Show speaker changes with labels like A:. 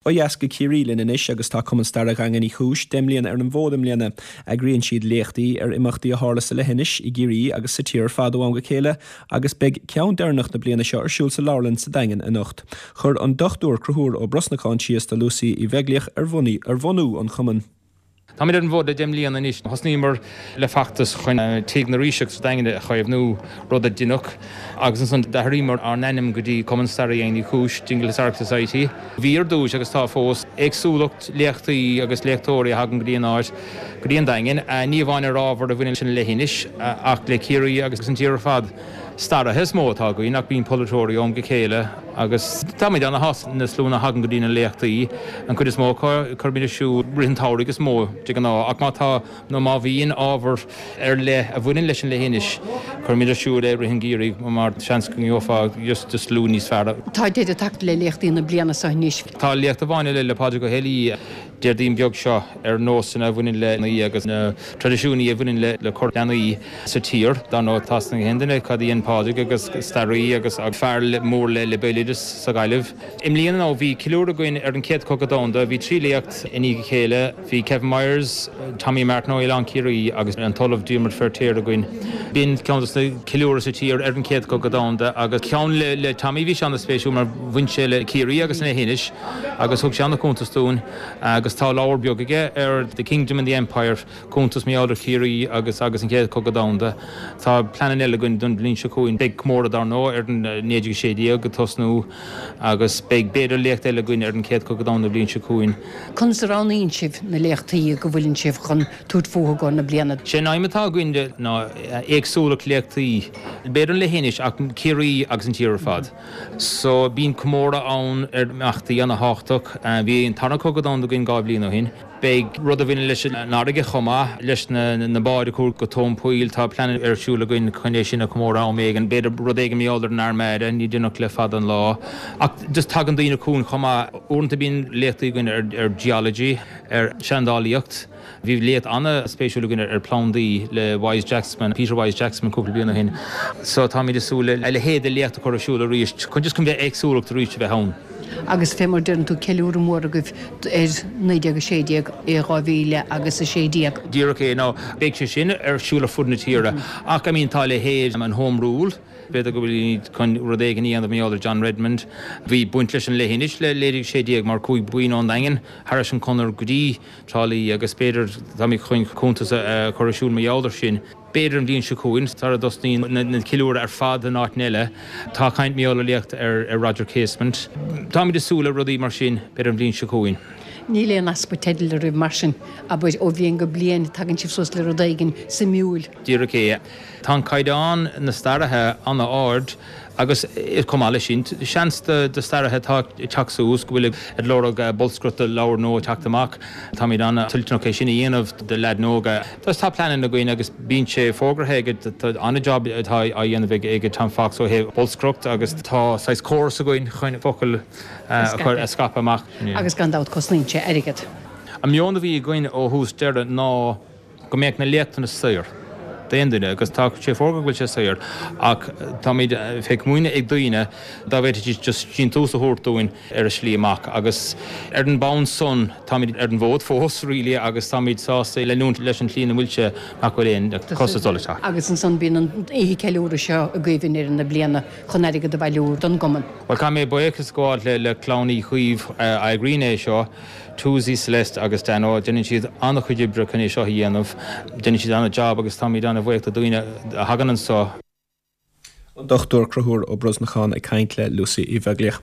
A: Ó dheas go Ciarraí linn anois agus tá Cumann Staire Dhaingean Uí Chúis 10 mbliana ar an bhfód i mbliana. Eagraíonn siad léachtaí ar imeachtaí a tharla sa leithinis, i gCiarraí agus sa tír ar fad ó am go chéile agus beidh ceann deireanach na bliana seo ar siúl sa leabharlann sa Daingean anocht. Chuir an Dr Conchúr Ó Brosnacháin síos do Lucy Uí Bheaglaoich ar bhunú an chumainn.
B: Táimid ar an bhfód le 10 mbliana anois. Thosnaíomar le feachtas chun Tigh na Ríseach sa Daingean a chaomhnú, rud a deineadh, agus ansan d'athraíomar ár n-ainm go dtí Cumann Staire Dhaingean Uí Chúis, Dingle Historical Society. Bhí ar dtúis, agus tá fós, éagsúlacht léachtaí agus léachtóirí a thagann go dtí an áit, go dtí an Daingean, ní amháin ar ábhar a bhaineann leis an leithinis, ach le Ciarraí agus an tír ar fad. Staraithe is mó atá againn ach bíonn polaiteoirí ó am go chéile agus táimid ana-shásta na sluanna a thagann go dtí na léachtaí. An chuid is mó acu, cuirimid ar siúl rith an tsamhraidh is mó de ghnáth ach má tá nó má bhíonn ábhar ar leith a bhaineann leis an leithinis, cuirimid ar siúl é rith an gheimhridh mar seans go ngeofá just slua níos fearr.
C: Tá deireadh tagtha le léachtaí na bliana seo anois.
B: Tá léacht amháin eile le Pádraig Ó hÉalaí. Déardaoin beag seo ar nósanna a bhaineann le leanaí agus na traidisiúnaí a bhaineann le cur leanaí sa tír. Dar ndóigh, tá a fhios ag aon duine cad a dhein Pádraig agus staraí agus fear mór le béaloideas sa Ghaillimh. I mbliana nó bhí ceiliúradh againn ar an Chéad Chogadh Domhanda. Bhí 3 léacht i ndiaidh a chéile. Bhí Kevin Myers, Tommy Martin ó Oileán Ciarraí agus an tOllamh Diarmaid Feirtéar againn. B'in ceann dos na ceiliúradh sa tír ar an Chéad Chogadh Domhanda agus ceann le Tommy bhí sé ana-spéisiúil mar bhain sé le Ciarraí agus an leithinis. Agus thug sé ana-chuntas dúinn agus tá leabhar beag aige ar The Kingdom and the Empire, cuntas mar gheall ar Chiarraí agus agus an Chéad Chogadh Domhanda. Tá pleananna eile againn don bhliain seo chugainn. Beidh comóradh dar ndóigh ar an 1916 ag tosnú agus beidh b'fhéidir léacht eile againn ar an Chéad Chogadh Domhanda an bhliain seo chugainn.
C: Conas a roghnaíonn sibh na léachtaí go bhfuileann sibh chun tabhairt fúthu i gcomhair na bliana?
B: Sé an aidhm atá againn ná éagsúlacht léachtaí, b'fhéidir an leithinis ach Ciarraí agus an tír ar fad. So, bíonn comóradh ann ar imeachtaí ana-thábhachtach. Bhí an Tarna Cogadh Domhanda againn 2 bhliain ó shin. Beidh rud a bhaineann leis an fharraige chomh maith leis na báid a chuaigh go tóin poill. Tá plean ar siúl againn chun é sin a chomóradh am éigin. B'fhéidir rud éigin mar gheall ar an Armada, ní déanach le fada an lá. Ach just tagann daoine chugainn chomh maith. Uaireanta bíonn léachtaí againn ar geology, ar seandálaíocht. Bhí léacht an-spéisiúil againn ar phlandaí le Wyse Jackman, Peter Wyse Jackman cúpla bliain ó shin. So táimid ag súil le a leithéid de léacht a chur ar siúl arís chun just chun bheith éagsúlacht arís a bheith ann.
C: Agus fé mar deireann tú ceiliúradh mór agaibh ar 1916 i 2000 agus 16.
B: Díreach é, now beidh sé sin ar siúl ar fud na tíre ach I mean tá a leithéid an Home Rule, B'fhéidir go bhfuilimid chun rud éigin a dhéanamh mar gheall ar John Redmond. Bhí baint leis an leithinis le 1916 mar chuaigh buíon ón Daingean thairis an chonair go dtí Trá Lí agus b'fhéidir táimid chun cuntas a chur ar siúl mar gheall ar sin. B'fhéidir an bhliain seo chugainn, sara dtosnaíonn na ceiliúradh ar fad in áiteanna eile. Tá caint mar gheall ar léacht ar Roger Casement. Táimid ag súil le rudaí mar sin, b'fhéidir an bhliain seo chugainn.
C: Níl aon easpa teidil oraibh mar sin, abair, ó bhliain go bliain, tagann sibh suas le rud éigin suimiúil.
B: Díreach é. Tá an caighdeán na staraithe an-ard agus chomh maith leis sin, seans do staraithe atá ag teacht suas go bhfuil ag lorg bolscaireacht do leabhar nua ag teacht amach. Táimid an-toilteanach é sin a dhéanamh do leaideanna óga. Tá pleananna againn agus bíonn sé fógartha ag, tá an-jab atá á dhéanamh ag Tom Fox ó thaobh bolscaireacht agus tá saghas córas againn chun focail a chur, a scaipeadh amach.
C: Agus gan dabht cosnaíonn sé airgead.
B: An meon a bhí againn ó thús deireadh ná go mbeadh na léachtanna saor d'aon duine agus tá sé fógartha go bhfuil sé saor ach táimid fé chomaoine ag daoine dá bhféadfaidís just síntiús a thabhairt dúinn ar a slí amach agus ar an mbonn san táimid ar an bhfód fós really agus táimid sásta leanúint leis an tslí ina bhfuil sé nach bhfuil aon costas dul isteach.
C: Agus ansan bíonn an oíche ceiliúradh seo agaibh i ndeireadh na bliana chun airgead a bhailiú don gcumann.
B: Bhuel caithfidh mé buíochas a ghabháil le Clann Uí Chaoimh a eagraíonn é seo. Tuzi, Celeste agus Dano, déanann siad an-chuid oibre chun é seo a dhéanamh. Déanann siad an-jab agus táimid an-bhuíoch do daoine a thagann anseo.
A: An Dr Conchúr Ó Brosnacháin ag caint le Lucy Uí Bheaglaoich.